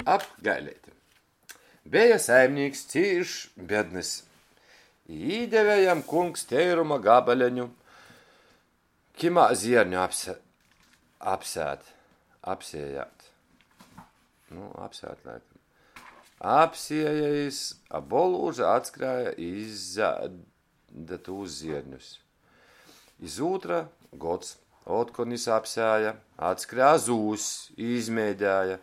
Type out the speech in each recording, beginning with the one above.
Ap gaileiti. Beja saimnīks cīš bednys. I īdeve jam kungs teiruma gabaleņu, kimā zierņu apse, apsēt, apsējāt. Nu, apsēt laikam. Apsēja jis, a bolūža atskrēja i izēde tūs zierņus. Iz ūtra gods otkon jis apsēja, atskrēja zūss i izmēdēja.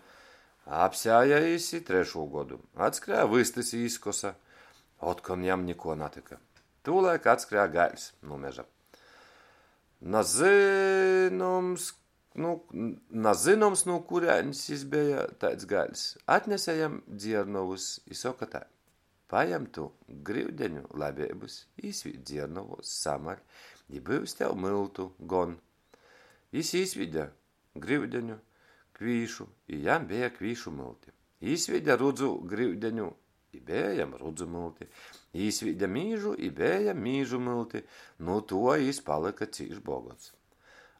Apsēja jis i trešū godu. Atskrēja vystys i izkosa. Otkon jam nikuo natyka. Tūlaik atskrēja gaiļs nu meža. Nazynoms, nu, nazynoms, nu kurēnis jis beja taids gaiļs. Atnese jam dziernovus i soka tai: Pajem tu gryudeņu labeibys, īsvīd dziernovuos, samaļ, i byus tev myltu gon. Jis īsvīde gryudeņu kvīšu, i jam beja kvīšu mylti. Īsvīde rudzu gryudeņu, i beja jam rudzu mylti. Īsvīde mīžu, i beja jam mīžu mylti. Nu tuo jis palyka cīš bogots.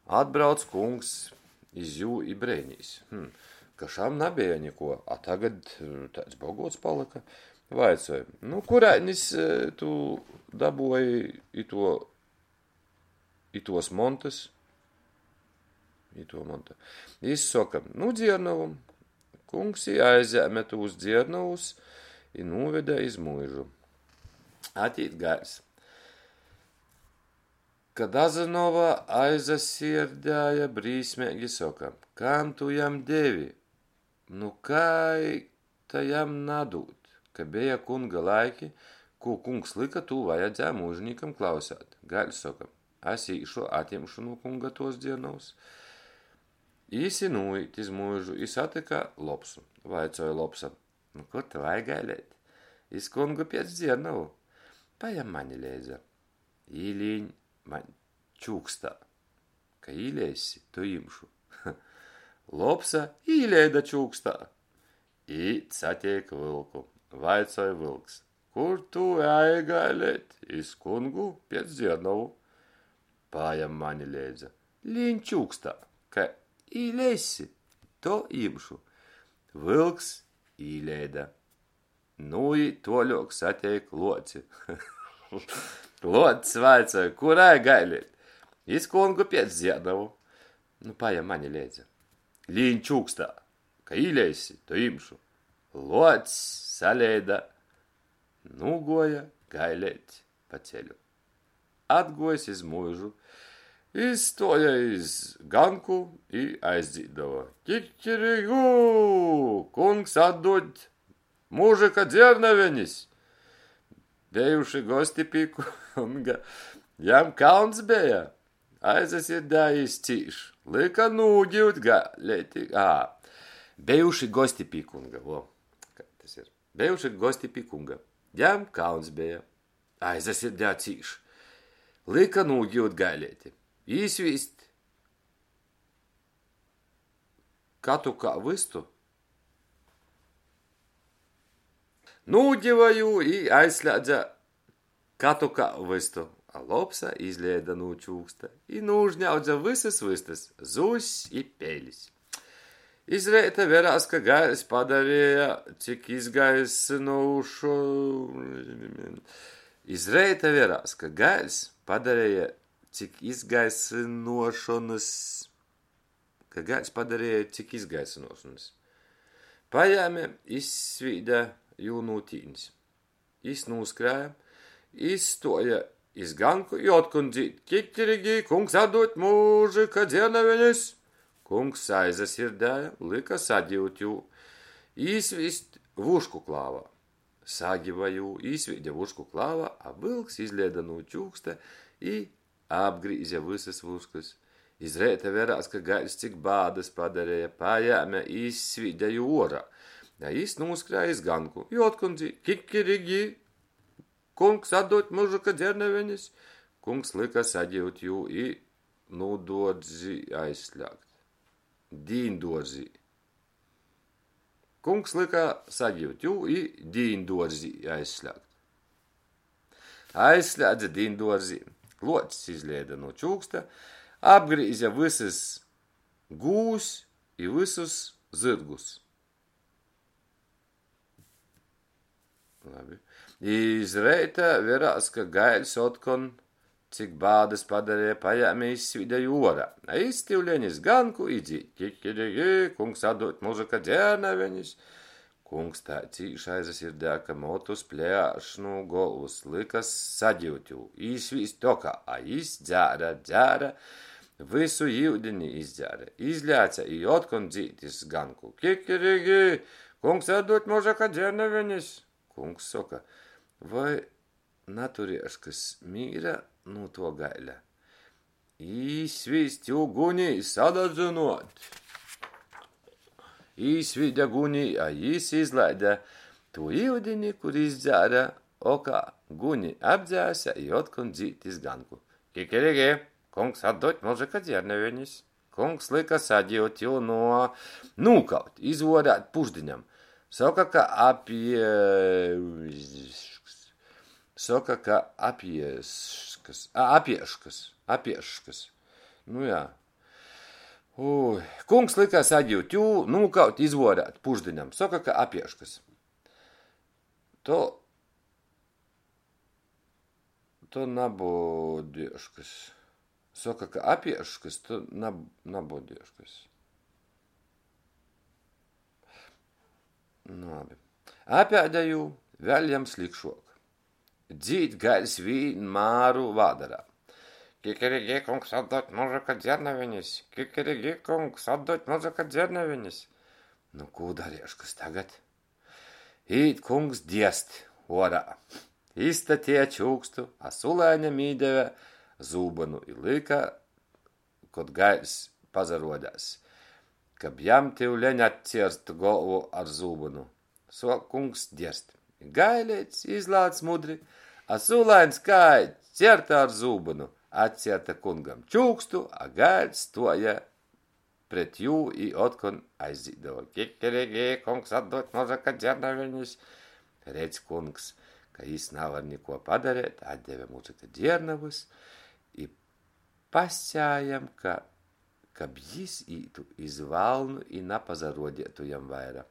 Atbrauc kungs iz jū i breinīs, Hm, ka šam nabeja nikuo, a tagad taids bogots palyka. Vaicoj, Nu kurainis tu dabuoji ituo, ituos montys? Ituo monta. Jis soka, Nu dziernovu. Kungs i aizjēme tūs dziernovus i nūvede iz muižu. Atīt gaiļs. Ka dazynova, aizasierdēja brīsmeigi, soka, Kam tu jam devi? Nu kai ta jam nadūt? Ka beja kunga laiki, kū kungs lyka, tū vajadzēja muižinīkam klausēt. Gaiļs soka, Es īšu, atjimšu nu kunga tuos dziernovus. Jis i nūīt iz muižu i satyka lopsu. Vaicoj lopsa, Nu, kur tu ej, gaileit? Iz kungu piec dziernovu. Pajem mani leidza. Īlīņ maņ čūkstā. Ka īleissi, to jimšu. Lopsa īleida čūkstā. Īt sateik vylku. Vaicoj vylks, Kur tu ej, gaileit? Iz kungu piec dziernovu. Pajem mani leidza. Līņ čūkstā. Ka īleissi, to jimšu. Vylks īleida. Nūīt tuoļuok, sateik luoci. Luocs vaicoj, Kur ej, gaileit? Iz kungu piec dziernovu. Nu, pajem mani leidza. Līņ čūkstā. Ka īleissi, to jimšu. Luocs saleida, nūguoja gaileit pa ceļu. Atguojs iz muižu, izstuoja iz ganku i aizdzīdova, Kikirigū! Kungs atdūd mužyka dziernavenis! Bejuši gosti pi kunga, jam kauns beja, aizasirdēja jis cīš, lyka nūgiut gaileiti. Ā, bejuši gosti pi kunga, vo, kai tas ir. Bejuši gosti pi kunga, jam kauns beja, aizasirdēja cīš, lyka nūgiut gaileiti, īsvīst katukā vystu. Nūgiva jū i aizslēdze katukā vystu, a lopsa izleida nu čūksta i nūžņaudze vysys vystys, zūss i pelis. Iz reita verās, ka gaiļs padareja cik izgaisynūšu. Iz reita verās, ka gaiļs padareja cik izgaisynuošonys. Ka gaiļs padareja cik izgaisynuošonys. Pajēme, izsvīde jū nu tīnis. Jis nūskrēja, izstuoja iz ganku i otkon dzīd, Kikirigi, kungs atdūd mužyka dziernavenis! Kungs aizasirdēja, lyka sagiut jū, īsvīst vušku klāvā. Sagiva jū, īsvīde vušku klāvā, a vylks izleida nu čūksta i apgrīze vysys vuškys. Iz reita verās, ka gaiļs cik bādys padareja, pajēme, izsvīde jū uorā. A jis nūskrēja iz ganku i otkon dzīd, Kikirigi, kungs atdūd mužyka dziernavenis! Kungs lyka sagiut jū i nu duorzī aizslēgt. Dīnduorzī. Kungs lyka sagiut jū i dīnduorzī aizslēgt. Aizslēdze dīnduorzī. Luocs izleida nu čūksta, apgrīze vysys gūvs i vysus zyrgus. Labi. Iz reita verās, ka gaiļs otkon, cik bādys padareja, pajēme izsvīde jū uorā. A jis tiuleņ iz ganku i dzīd, Kikirigi, kungs atdūd mužyka dziernavenis. Kungs tai cīš aizasirdēja, ka motus plēš nu golvys, lyka sagiut jū, īsvīst okā, a jis dzēre, dzēre, vysu iudini izdzēre, izlēce i otkon dzīd iz ganku, Kikirigi, kungs atdūd mužyka dziernavenis. Kungs soka, voi naturieškys mīra nu tuo gaiļa? Īsvīst jū gunī, sadadzynuot! Īsvīde gunī, a jis izlaide tū iudini, kur izdzēre okā. Guni apdzēse i otkon dzīd iz ganku. Kikirigi, kungs atdūd mužyka dziernavenis. Kungs lyka sagiut jū no nūkaut, izvuorēt pušdiņam. Soka, ka apie... Soka, ka apieškas. A, apieškas. Apieškas. Nu jā. Ui. Kungs lyka sagiut jū, nūkaut, izvuorēt pušdiņam. Soka, ka apieškas. To... To nabodieškas. Soka, ka apieškas, to nab, nabodieškas. Nu, labi. Apēde jū, vēļ jam slikšuok. Dzīd gaiļs vīnmāru vādarā. Kikirigi, kungs, atdod mužyka dziernavenis! Kikirigi, kungs, atdod mužyka dziernavenis! Nu, kū darieškys tagad? Īt kungs dierst uorā. Izstateja čūkstu, a sulaiņam īdeve zūbynu i lyka, kod gaiļs pasaruodēs, kab jam tiuleņ atcierst golvu ar zūbynu. Suok kungs dierst. Gaileits izlāc mudri, a sulaiņs kai cierta ar zūbynu. Atcierta kungam čūkstu, a gaiļs stuoja pret jū i otkon aizdzīdova. Kikirigi, kungs atdod mužyka dziernavenis. Redz kungs, ka jis navar nikuo padareit, atdeve mužyka dziernavys i pasceja jam, ka kab jis ītu iz valnu i napasaruodeitu jam vaira.